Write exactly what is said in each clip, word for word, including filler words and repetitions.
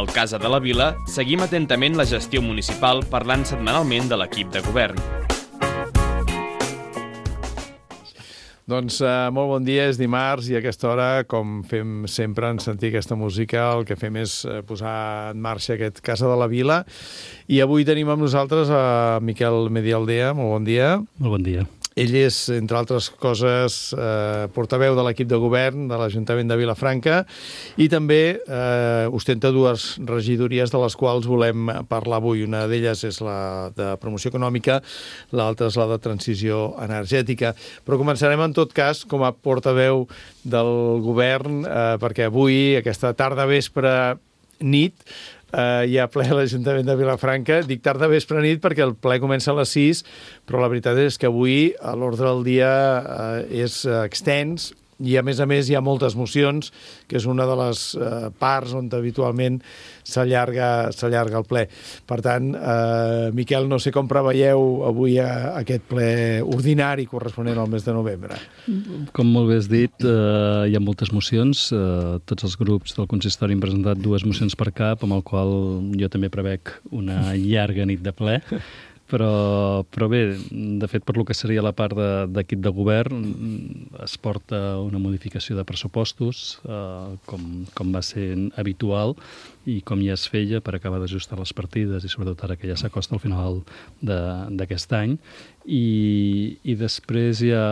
al Casa de la Vila, seguim atentament la gestió municipal parlant setmanalment de l'equip de govern. Doncs uh, molt bon dia, és dimarts i a aquesta hora, com fem sempre en sentir aquesta música, el que fem és uh, posar en marxa aquest Casa de la Vila. I avui tenim amb nosaltres a Miquel Medialdea. Molt bon dia. Molt bon dia. Ell és, entre altres coses, eh, portaveu de l'equip de govern de l'Ajuntament de Vilafranca i també eh, ostenta dues regidories de les quals volem parlar avui. Una d'elles és la de promoció econòmica, l'altra és la de transició energètica. Però començarem, en tot cas, com a portaveu del govern, eh, perquè avui, aquesta tarda, vespre, nit, Uh, hi ha ple a l'Ajuntament de Vilafranca. Dic tarda vespre nit perquè el ple comença a les sis, però la veritat és que avui l'ordre del dia uh, és uh, extens i, a més a més, hi ha moltes mocions, que és una de les uh, parts on habitualment s'allarga s'allarga el ple. Per tant, uh, Miquel, no sé com preveieu avui a, a aquest ple ordinari corresponent al mes de novembre. Com molt bé has dit, eh, hi ha moltes mocions. Eh, tots els grups del consistori han presentat dues mocions per cap, amb el qual jo també prevec una llarga nit de ple. Però, però bé, de fet, per lo que seria la part d'equip de, de govern, es porta una modificació de pressupostos, eh, com, com va ser habitual i com ja es feia per acabar d'ajustar les partides i sobretot ara que ja s'acosta al final d'aquest any. I, i després hi ha,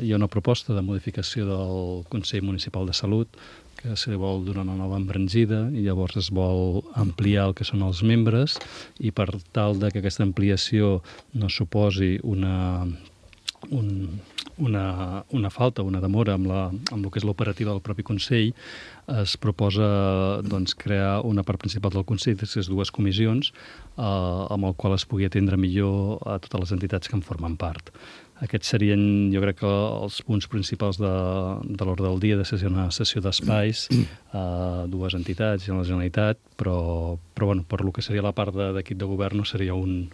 hi ha una proposta de modificació del Consell Municipal de Salut, que se li vol donar una nova embranzida i llavors es vol ampliar el que són els membres i per tal de que aquesta ampliació no suposi una, un, una, una falta, una demora amb, la, amb el que és l'operativa del propi Consell, es proposa doncs, crear una part principal del Consell, aquestes dues comissions, eh, amb el qual es pugui atendre millor a totes les entitats que en formen part. Aquests serien, jo crec, que els punts principals de, de l'ordre del dia, de ser una sessió d'espais a dues entitats i a la Generalitat, però, però bueno, per lo que seria la part d'equip de, de govern no seria un,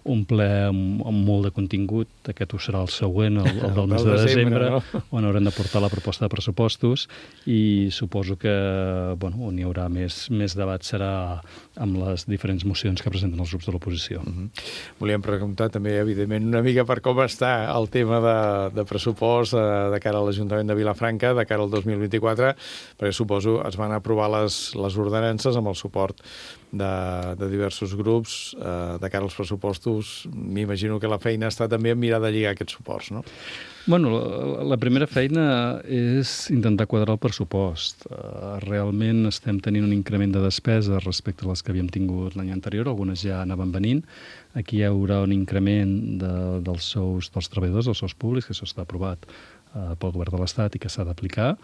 un ple amb, amb molt de contingut. Aquest ho serà el següent, el, el del mes de desembre, no? On haurem de portar la proposta de pressupostos i suposo que bueno, on hi haurà més, més debat serà amb les diferents mocions que presenten els grups de l'oposició. Uh-huh. Volíem preguntar també, evidentment, una mica per com està el tema de, de pressupost eh, de cara a l'Ajuntament de Vilafranca, de cara al dos mil vint-i-quatre, perquè suposo es van aprovar les, les ordenances amb el suport de, de diversos grups eh, de cara als pressupostos. M'imagino que la feina està també en mirar de lligar aquests suports, no? Bueno, la, la primera feina és intentar quadrar el pressupost. Uh, realment estem tenint un increment de despeses respecte a les que havíem tingut l'any anterior, algunes ja anaven venint. Aquí hi haurà un increment de, dels sous dels treballadors, dels sous públics, que això està aprovat uh, pel govern de l'Estat i que s'ha d'aplicar.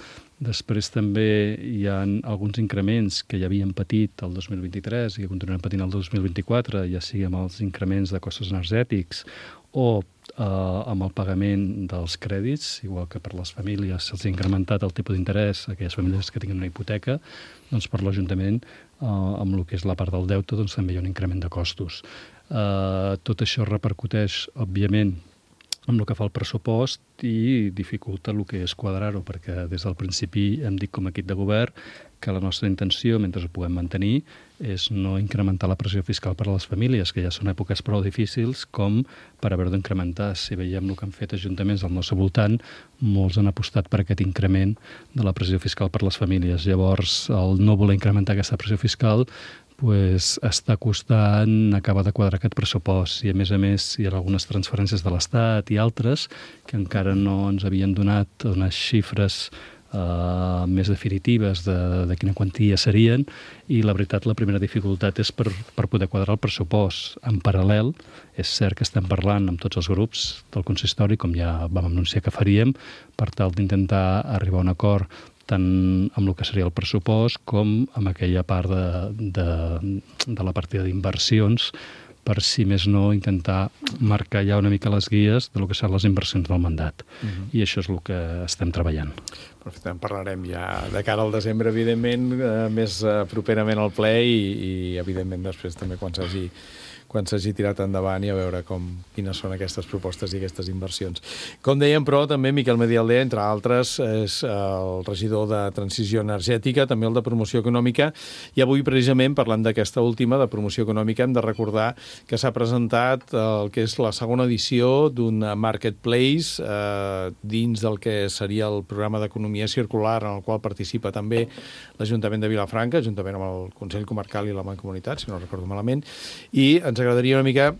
Després també hi ha alguns increments que ja havien patit el dos mil vint-i-tres i que continuaran patint el dos mil vint-i-quatre, ja sigui amb els increments de costos energètics o eh, amb el pagament dels crèdits, igual que per les famílies se'ls ha incrementat el tipus d'interès a aquelles famílies que tinguin una hipoteca, doncs per l'Ajuntament, eh, amb el que és la part del deute, doncs també hi ha un increment de costos. Eh, tot això repercuteix, òbviament, amb el que fa el pressupost i dificulta el que és quadrar-ho, perquè des del principi hem dit com a equip de govern que la nostra intenció, mentre ho puguem mantenir, és no incrementar la pressió fiscal per a les famílies, que ja són èpoques prou difícils com per haver d'incrementar. Si veiem el que han fet ajuntaments al nostre voltant, molts han apostat per aquest increment de la pressió fiscal per a les famílies. Llavors, el no voler incrementar aquesta pressió fiscal pues, està costant acabar de quadrar aquest pressupost i, a més a més, hi ha algunes transferències de l'Estat i altres que encara no ens havien donat unes xifres uh, més definitives de, de quina quantia serien i, la veritat, la primera dificultat és per, per poder quadrar el pressupost. En paral·lel, és cert que estem parlant amb tots els grups del consistori, com ja vam anunciar que faríem, per tal d'intentar arribar a un acord tant amb el que seria el pressupost com amb aquella part de, de, de la partida d'inversions per, si més no, intentar marcar ja una mica les guies de lo que seran les inversions del mandat. Uh-huh. I això és el que estem treballant. Perfecte, en parlarem ja de cara al desembre, evidentment, eh, més eh, properament al ple i, i, evidentment, després també quan s'hagi quan s'hagi tirat endavant i a veure com, quines són aquestes propostes i aquestes inversions. Com dèiem, però, també Miquel Medialdea, entre altres, és el regidor de Transició Energètica, també el de Promoció Econòmica, i avui, precisament, parlant d'aquesta última, de Promoció Econòmica, hem de recordar que s'ha presentat el que és la segona edició d'un marketplace eh, dins del que seria el programa d'economia circular, en el qual participa també l'Ajuntament de Vilafranca, juntament amb el Consell Comarcal i la Mancomunitat, si no recordo malament, i ens agradaria una mica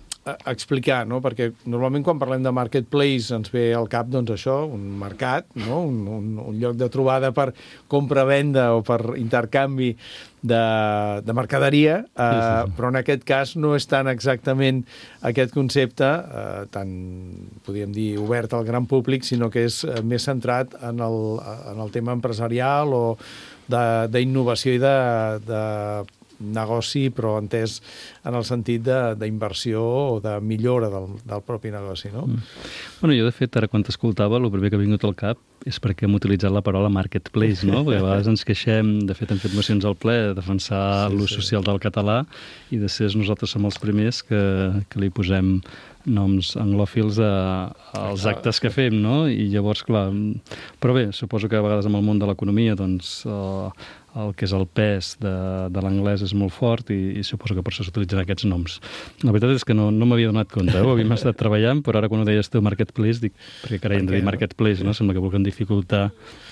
explicar, no? Perquè normalment quan parlem de marketplace ens ve al cap, doncs, això, un mercat, no? un, un, un lloc de trobada per compra-venda o per intercanvi de, de mercaderia, eh, sí, sí, sí. Però en aquest cas no és tan exactament aquest concepte, eh, tan, podríem dir, obert al gran públic, sinó que és més centrat en el, en el tema empresarial o d'innovació i de, de negoci, però entès en el sentit d'inversió o de millora del, del propi negoci, no? Mm. Bueno, jo, de fet, ara quan t'escoltava, el primer que ha vingut al cap és perquè hem utilitzat la paraula marketplace, no? Perquè a vegades ens queixem, de fet, hem fet mocions al ple, de defensar sí, l'ús sí. social del català, i de ser nosaltres som els primers que, que li posem noms anglòfils a, als actes que fem, no? I llavors, clar... Però bé, suposo que a vegades en el món de l'economia, doncs, eh, el que és el pes de, de l'anglès és molt fort i, i suposo que per això s'utilitzen aquests noms. La veritat és que no, no m'havia donat compte, eh? Ho havíem estat treballant, però ara quan ho deies tu marketplace, dic, perquè carai, hem de dir marketplace, no? Sembla que vulguem dificultar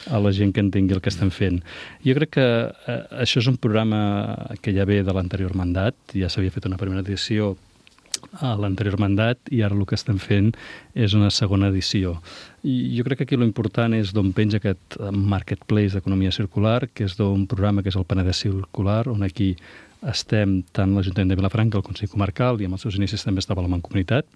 a la gent que entengui el que estem fent. Jo crec que eh, això és un programa que ja ve de l'anterior mandat, ja s'havia fet una primera edició a l'anterior mandat i ara el que estem fent és una segona edició. I jo crec que aquí l'important és d'on penja aquest marketplace d'economia circular, que és d'un programa que és el Penedès Circular, on aquí estem tant l'Ajuntament de Vilafranca, el Consell Comarcal, i amb els seus inicis també estava la Mancomunitat.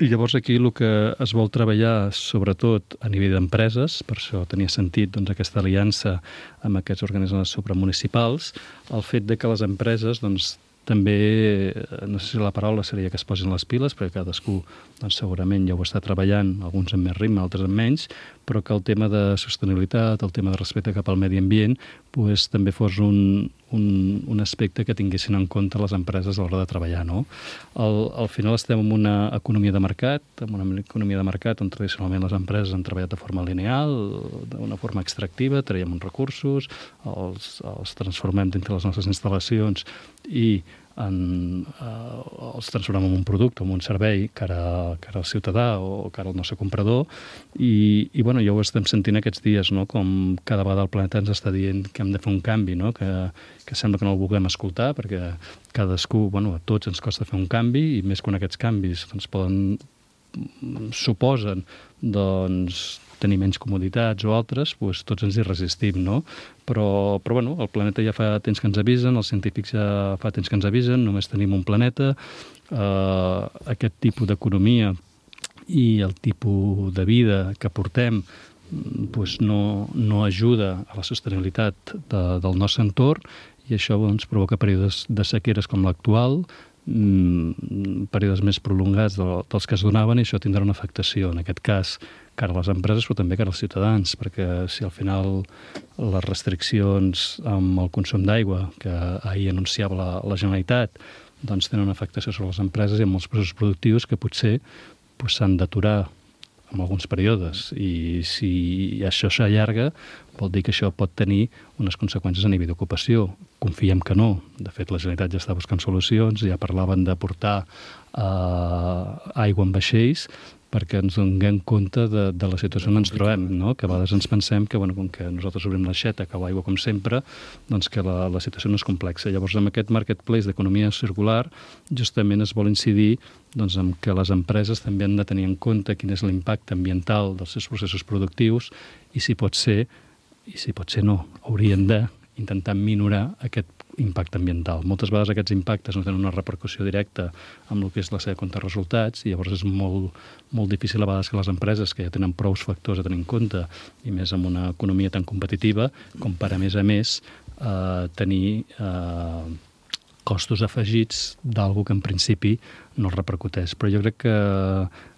I llavors aquí el que es vol treballar, sobretot a nivell d'empreses, per això tenia sentit doncs, aquesta aliança amb aquests organismes supramunicipals, el fet de que les empreses doncs, també, no sé si la paraula seria que es posin les piles, perquè cadascú doncs, segurament ja ho està treballant, alguns amb més ritme, altres amb menys, però que el tema de sostenibilitat, el tema de respecte cap al medi ambient, pues, també fos un, un, un aspecte que tinguessin en compte les empreses a l'hora de treballar. No? Al, al final estem en una economia de mercat, en una economia de mercat on tradicionalment les empreses han treballat de forma lineal, d'una forma extractiva, traiem uns recursos, els, els transformem dintre les nostres instal·lacions i en, eh, els transformem en un producte, en un servei cara, cara al ciutadà o cara al nostre comprador i, i bueno, ja ho estem sentint aquests dies, no? Com cada vegada el planeta ens està dient que hem de fer un canvi, no? que, que sembla que no el vulguem escoltar perquè cadascú, bueno, a tots ens costa fer un canvi i més quan aquests canvis doncs, poden, suposen doncs, tenir menys comoditats o altres, doncs tots ens hi resistim, no? Però, però bueno, el planeta ja fa temps que ens avisen, els científics ja fa temps que ens avisen, només tenim un planeta, eh, aquest tipus d'economia i el tipus de vida que portem doncs no, no ajuda a la sostenibilitat de, del nostre entorn i això doncs, provoca períodes de sequeres com l'actual, períodes més prolongats dels que es donaven i això tindrà una afectació, en aquest cas cara a les empreses però també cara als ciutadans, perquè si al final les restriccions amb el consum d'aigua que ahir anunciava la, la Generalitat doncs tenen una afectació sobre les empreses i amb els processos productius que potser doncs, s'han d'aturar en alguns períodes i si això s'allarga vol dir que això pot tenir unes conseqüències a nivell d'ocupació. Confiem que no. De fet, la Generalitat ja està buscant solucions, ja parlaven de portar eh, aigua en vaixells perquè ens donem compte de, de la situació on ens trobem, no? Que a vegades ens pensem que, bueno, com que nosaltres obrim l'aixeta, cau aigua com sempre, doncs que la, la situació no és complexa. Llavors, amb aquest marketplace d'economia circular, justament es vol incidir doncs, en que les empreses també han de tenir en compte quin és l'impacte ambiental dels seus processos productius i si pot ser, i si pot ser no, haurien de intentar minorar aquest impacte ambiental. Moltes vegades aquests impactes no tenen una repercussió directa amb el que és la seva compte de resultats i llavors és molt, molt difícil a vegades que les empreses que ja tenen prou factors a tenir en compte i més amb una economia tan competitiva com per a més a més eh, tenir eh, costos afegits d'algú que en principi no es repercuteix. Però jo crec que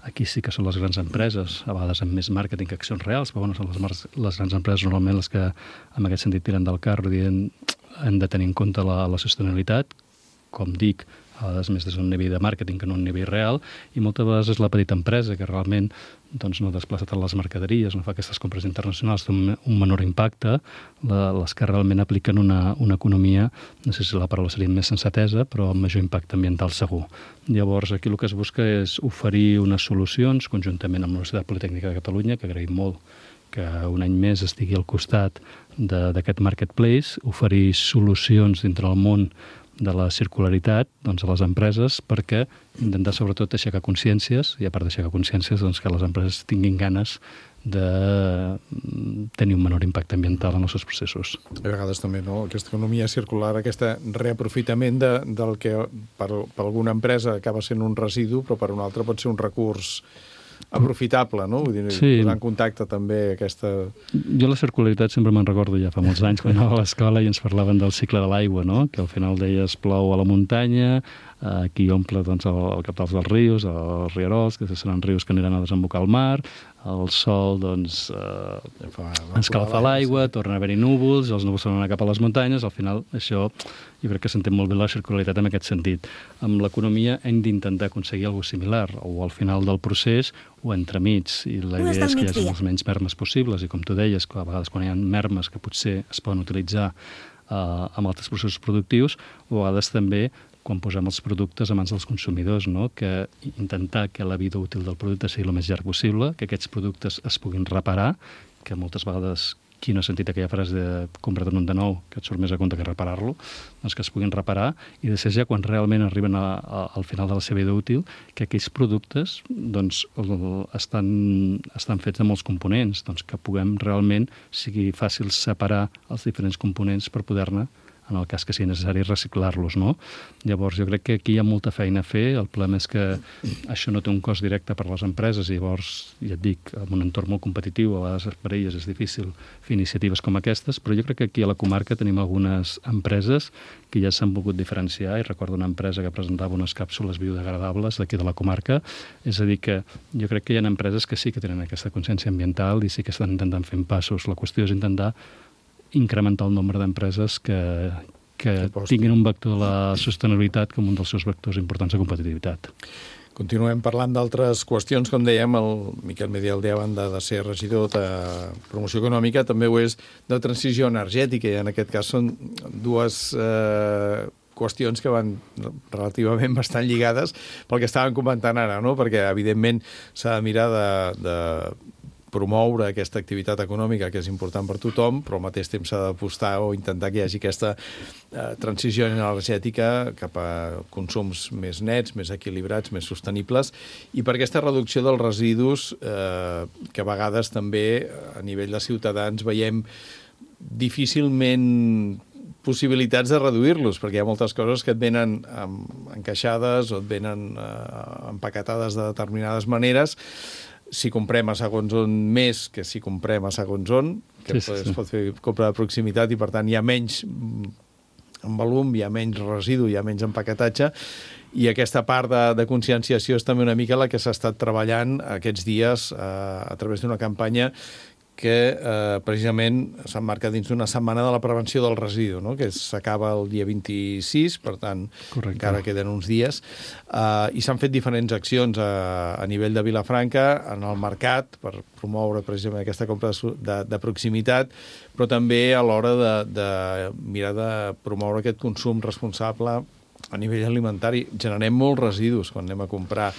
aquí sí que són les grans empreses, a vegades amb més màrqueting que accions reals, però bueno, són les, les grans empreses normalment les que en aquest sentit tiren del carro dient hem de tenir en compte la, la sostenibilitat, com dic, a vegades més des d'un nivell de màrqueting que no un nivell real, i moltes vegades és la petita empresa que realment doncs, no desplaça tant les mercaderies, no fa aquestes compres internacionals, té un, un menor impacte, la, les que realment apliquen una, una economia, no sé si la paraula seria més sensatesa, però amb major impacte ambiental segur. Llavors, aquí el que es busca és oferir unes solucions, conjuntament amb la Universitat Politècnica de Catalunya, que agraïm molt que un any més estigui al costat d'aquest marketplace, oferir solucions dintre el món de la circularitat doncs, a les empreses perquè intentar sobretot aixecar consciències i a part d'aixecar consciències doncs, que les empreses tinguin ganes de tenir un menor impacte ambiental en els seus processos. A vegades també, no? Aquesta economia circular, aquest reaprofitament de, del que per, per alguna empresa acaba sent un residu, però per una altra pot ser un recurs aprofitable, no? Vull dir, sí. Posar en contacte també aquesta... Jo la circularitat sempre me'n recordo ja fa molts anys quan anava a l'escola i ens parlaven del cicle de l'aigua, no? Que al final deies plou a la muntanya, aquí omple doncs, el, el cap dels rius, els rierols, que seran rius que aniran a desembocar al mar, el sol doncs, eh, escalfa l'aigua, torna a haver-hi núvols, els núvols tornen cap a les muntanyes, al final això jo crec que s'entén molt bé la circularitat en aquest sentit. Amb l'economia hem d'intentar aconseguir alguna similar, o al final del procés o entremig, i la idea és que hi hagi els menys mermes possibles, i com tu deies, que a vegades quan hi ha mermes que potser es poden utilitzar eh, amb altres processos productius, o a vegades també quan posem els productes a mans dels consumidors, no? Que intentar que la vida útil del producte sigui el més llarg possible, que aquests productes es puguin reparar, que moltes vegades, qui no ha sentit aquella frase de compra't un de nou, que et surt més a compte que reparar-lo, doncs que es puguin reparar, i després ja quan realment arriben a, a, al final de la seva vida útil, que aquells productes doncs, estan, estan fets de molts components, doncs que puguem realment, sigui fàcil separar els diferents components per poder-ne, en el cas que sigui necessari, reciclar-los, no? Llavors, jo crec que aquí hi ha molta feina a fer. El problema és que això no té un cost directe per a les empreses i llavors, ja et dic, en un entorn molt competitiu, a vegades per a elles és difícil fer iniciatives com aquestes, però jo crec que aquí a la comarca tenim algunes empreses que ja s'han volgut diferenciar, i recordo una empresa que presentava unes càpsules biodegradables d'aquí de la comarca, és a dir que jo crec que hi ha empreses que sí que tenen aquesta consciència ambiental i sí que estan intentant fer passos. La qüestió és intentar incrementar el nombre d'empreses que, que tinguin un vector de la sostenibilitat com un dels seus vectors importants de competitivitat. Continuem parlant d'altres qüestions, com dèiem, el Miquel Medialdé, a banda de ser regidor de promoció econòmica, també ho és de transició energètica, i en aquest cas són dues eh, qüestions que van relativament bastant lligades pel que estàvem comentant ara, no? Perquè, evidentment, s'ha de mirar de, de promoure aquesta activitat econòmica que és important per tothom, però al mateix temps s'ha d'apostar o intentar que hi hagi aquesta eh, transició energètica cap a consums més nets, més equilibrats, més sostenibles, i per aquesta reducció dels residus eh, que a vegades també a nivell de ciutadans veiem difícilment possibilitats de reduir-los, perquè hi ha moltes coses que et venen encaixades o et venen eh, empaquetades de determinades maneres. Si comprem a segons on més que si comprem a segons on, que sí, sí, sí. Es pot fer compra de proximitat i per tant hi ha menys en volum, hi ha menys residu, hi ha menys empaquetatge, i aquesta part de, de conscienciació és també una mica la que s'ha estat treballant aquests dies eh, a través d'una campanya que eh, precisament s'emmarca dins d'una setmana de la prevenció del residu, no? Que s'acaba el dia vint-i-sis, per tant, correcte, encara queden uns dies, eh, i s'han fet diferents accions a, a nivell de Vilafranca, en el mercat, per promoure precisament aquesta compra de, de, de proximitat, però també a l'hora de, de mirar de promoure aquest consum responsable a nivell alimentari. Generem molts residus quan anem a comprar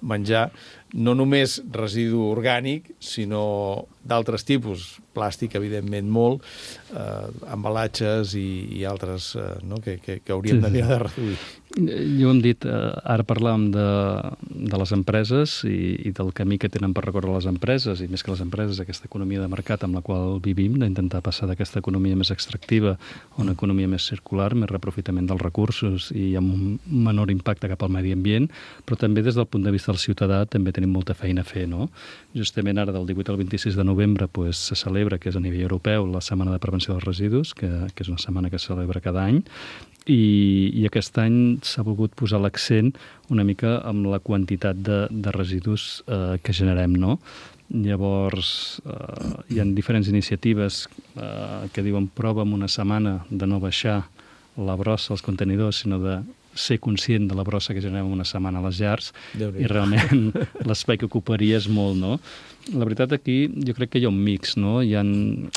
menjar, no només residu orgànic, sinó d'altres tipus, plàstic, evidentment, molt, eh, embalatges i, i altres eh, no? que, que, que hauríem sí, de mirar de reduir. Jo hem dit, eh, ara parlàvem de, de les empreses i, i del camí que tenen per recórrer les empreses, i més que les empreses, aquesta economia de mercat amb la qual vivim, d'intentar passar d'aquesta economia més extractiva a una economia més circular, més reaprofitament dels recursos i amb un menor impacte cap al medi ambient, però també des del punt de vista del ciutadà també tenim molta feina a fer, no? Justament ara, del divuit al vint-i-sis de novembre, pues, se celebra, que és a nivell europeu, la Setmana de Prevenció dels Residus, que, que és una setmana que es celebra cada any, i, i aquest any s'ha volgut posar l'accent una mica amb la quantitat de, de residus eh, que generem, no? Llavors, eh, hi ha diferents iniciatives eh, que diuen prova en una setmana de no baixar la brossa als contenidors, sinó de ser conscient de la brossa que generem una setmana a les llars i realment l'espai que ocuparia és molt, no? La veritat aquí jo crec que hi ha un mix, no? Hi ha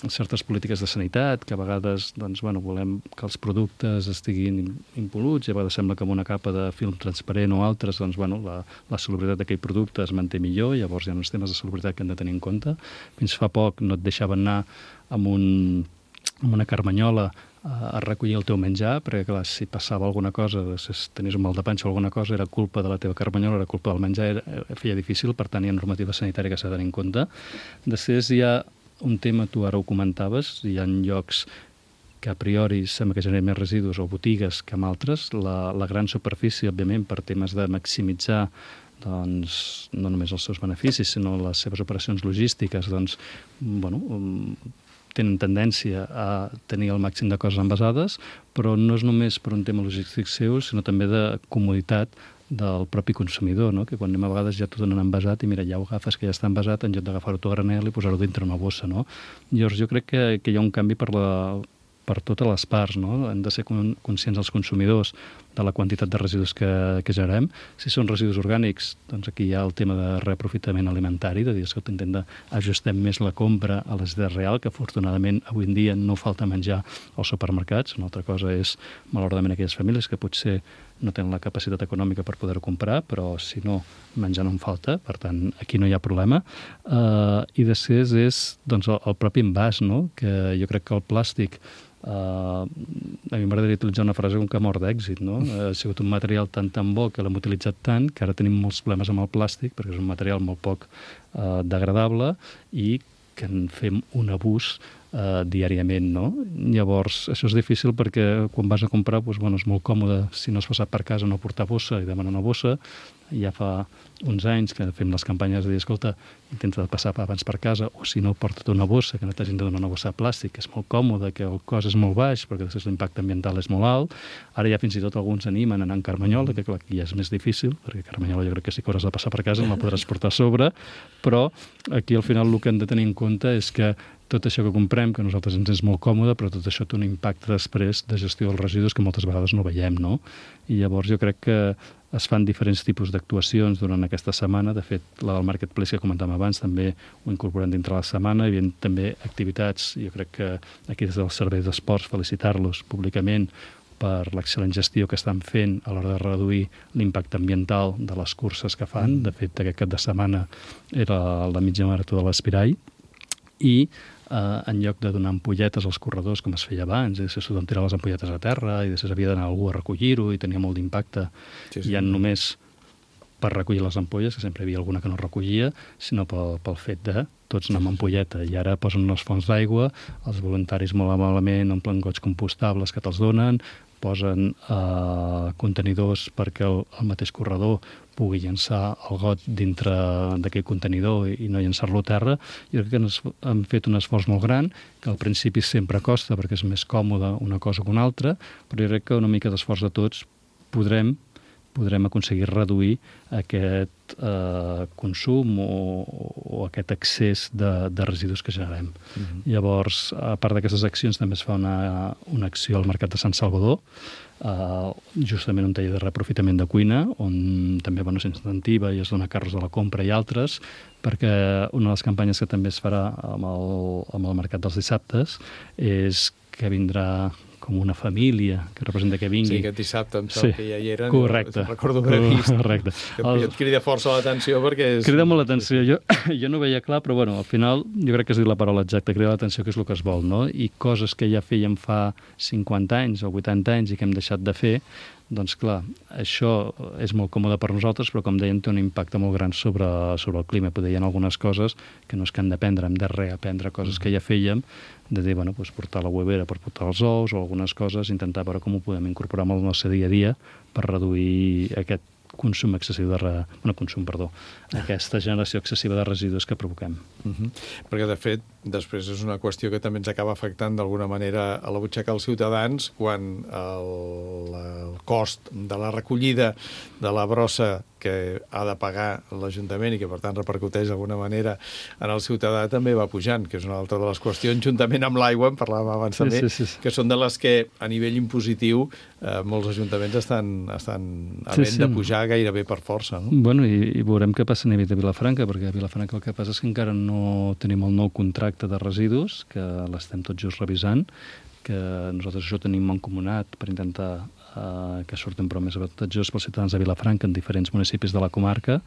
certes polítiques de sanitat que a vegades doncs, bueno, volem que els productes estiguin impol·luts i a vegades sembla que amb una capa de film transparent o altres doncs, bueno, la, la salubritat d'aquell producte es manté millor, llavors hi ha uns temes de salubritat que hem de tenir en compte. Fins fa poc no et deixaven anar amb, un, amb una carmanyola a recollir el teu menjar, perquè clar, si passava alguna cosa, si tenies un mal de panxa o alguna cosa, era culpa de la teva carmanyola, era culpa del menjar, era, feia difícil, per tant hi ha normativa sanitària que s'ha de tenir en compte. Després hi ha un tema, tu ara ho comentaves, hi ha llocs que a priori sembla que generen més residus o botigues que amb altres. La, la gran superfície, òbviament, per temes de maximitzar doncs, no només els seus beneficis, sinó les seves operacions logístiques, doncs, bueno, tenen tendència a tenir el màxim de coses envasades, però no és només per un tema logístic seu, sinó també de comoditat del propi consumidor, no? Que quan anem a vegades ja t'ho donen envasat i mira, ja ho agafes que ja està envasat en lloc d'agafar-ho tot a granel i posar-ho dintre una bossa, no? Llavors jo crec que, que hi ha un canvi per la per totes les parts, no? Hem de ser conscients els consumidors de la quantitat de residus que, que generem. Si són residus orgànics, doncs aquí hi ha el tema de reaprofitament alimentari, de dir que intentem d'ajustem més la compra a la necessitat real, que afortunadament avui en dia no falta menjar als supermercats. Una altra cosa és, malauradament, aquelles famílies que potser no tenen la capacitat econòmica per poder-ho comprar, però si no, menjar no en falta, per tant, aquí no hi ha problema. Uh, I després és doncs, el, el propi envàs, no? Que jo crec que el plàstic Uh, a mi m'agradaria utilitzar una frase com que mort d'èxit, no? Uh, ha sigut un material tan tan bo que l'hem utilitzat tant que ara tenim molts problemes amb el plàstic perquè és un material molt poc uh, degradable i que en fem un abús uh, diàriament, no? Llavors, això és difícil perquè quan vas a comprar, doncs, bueno, és molt còmode, si no has passat per casa, no portar bossa i demanar una bossa. Ja fa uns anys que fem les campanyes de dir, escolta, intenta passar abans per casa, o si no, porta't una bossa, que no t'hagin de donar una bossa de plàstic, que és molt còmode, que el cost és molt baix, perquè després l'impacte ambiental és molt alt. Ara ja fins i tot alguns animen a anar en carmanyola, que clar, aquí ja és més difícil, perquè carmanyola jo crec que sí que hauràs de passar per casa, no la podràs portar a sobre, però aquí al final el que hem de tenir en compte és que tot això que comprem, que a nosaltres ens és molt còmode, però tot això té un impacte després de gestió dels residus que moltes vegades no veiem, no? I llavors jo crec que es fan diferents tipus d'actuacions durant aquesta setmana. De fet, la del Marketplace que comentàvem abans també ho incorporem dintre la setmana. Hi havia també activitats, jo crec que aquí des del Servei d'Esports felicitar-los públicament per l'excel·lent gestió que estan fent a l'hora de reduir l'impacte ambiental de les curses que fan. De fet, aquest cap de setmana era la mitja marató de l'Espirall i eh, en lloc de donar ampolletes als corredors com es feia abans, i després s'ho tirar les ampolletes a terra i després havia d'anar algú a recollir-ho i tenia molt d'impacte. Sí, sí. I ja només per recollir les ampolles, que sempre hi havia alguna que no recollia, sinó pel, pel fet de tots anar amb ampolleta. I ara posen unes fonts d'aigua, els voluntaris molt malament omplen gots compostables que te'ls donen, posen eh, contenidors perquè el, el mateix corredor pugui llançar el got dintre d'aquell contenidor i, i no llançar-lo a terra. Jo crec que han fet un esforç molt gran, que al principi sempre costa perquè és més còmode una cosa que una altra, però jo crec que una mica d'esforç de tots podrem podrem aconseguir reduir aquest eh, consum o, o aquest excés de, de residus que generem. Uh-huh. Llavors, a part d'aquestes accions, també es fa una, una acció al Mercat de Sant Salvador, eh, justament un taller de reaprofitament de cuina, on també bueno, s'incentiva i es dona carros de la compra i altres, perquè una de les campanyes que també es farà amb el, amb el Mercat dels Dissabtes és que vindrà com una família que representa que vingui. Sí, aquest dissabte em sembla sí, que ja hi eren. Correcte. Jo recordo haver vist. Correcte. Que el... et crida força l'atenció perquè és... Crida molt l'atenció. Jo, jo no veia clar, però bueno, al final jo crec que has dit la paraula exacta, crida l'atenció, que és el que es vol, no? I coses que ja fèiem fa cinquanta anys o vuitanta anys i que hem deixat de fer, doncs clar, això és molt còmode per nosaltres, però com dèiem té un impacte molt gran sobre, sobre el clima. Poder hi ha algunes coses que no és que hem d'aprendre, hem de reaprendre coses que ja fèiem, de dir, bueno, doncs portar la huevera per portar els ous o algunes coses, intentar veure com ho podem incorporar en el nostre dia a dia per reduir aquest consum excessiu de... Re... Bueno, consum, perdó. Aquesta generació excessiva de residus que provoquem. Uh-huh. Perquè, de fet, després és una qüestió que també ens acaba afectant d'alguna manera a la butxaca dels ciutadans quan el, el cost de la recollida de la brossa que ha de pagar l'Ajuntament i que, per tant, repercuteix d'alguna manera en el ciutadà també va pujant, que és una altra de les qüestions, juntament amb l'aigua, en parlàvem abans sí, també, sí, sí, sí. que són de les que, a nivell impositiu, eh, molts ajuntaments estan, estan havent sí, sí. de pujar gairebé per força. No? Bueno, i, i veurem què passa a nivell de Vilafranca, perquè a Vilafranca el que passa és que encara no tenim el nou contracte de residus, que l'estem tot just revisant, que nosaltres això tenim mancomunat per intentar eh, que surten però més avantatjós pels ciutadans de Vilafranca en diferents municipis de la comarca,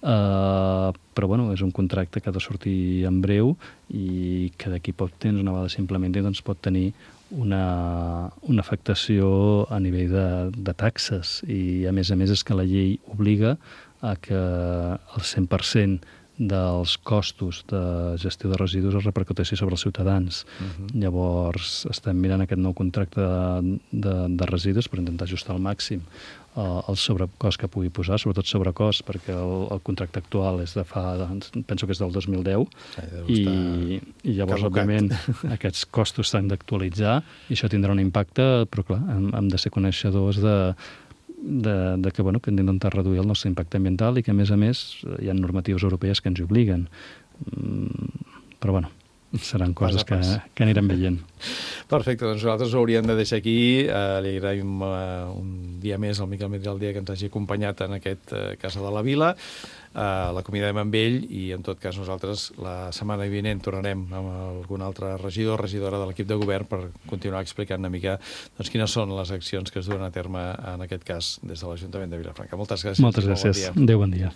eh, però bueno, és un contracte que ha de sortir en breu i que d'aquí poc temps, una vegada s'implementi, doncs pot tenir una, una afectació a nivell de, de taxes i a més a més és que la llei obliga a que el cent per cent dels costos de gestió de residus es repercuteixi sobre els ciutadans. Uh-huh. Llavors, estem mirant aquest nou contracte de, de, de residus per intentar ajustar al màxim uh, el sobrecost que pugui posar, sobretot sobrecost, perquè el, el contracte actual és de fa, penso que és del dos mil deu, i, i llavors, caducat. Òbviament, aquests costos s'han d'actualitzar i això tindrà un impacte, però clar, hem, hem de ser coneixedors de De, de que, bueno, que hem d'intentar reduir el nostre impacte ambiental i que, a més a més, hi ha normatives europees que ens hi obliguen. Mm, però, bueno, seran coses que, que anirem veient. Perfecte, doncs nosaltres ho hauríem de deixar aquí. Uh, li agraïm uh, un dia més al Miquel Medina al dia que ens hagi acompanyat en aquest uh, Casa de la Vila. Uh, l'acomiadem amb ell i, en tot cas, nosaltres la setmana vinent tornarem amb algun altre regidor o regidora de l'equip de govern per continuar explicant una mica doncs, quines són les accions que es duen a terme, en aquest cas, des de l'Ajuntament de Vilafranca. Moltes gràcies. Moltes gràcies. Adéu, bon dia.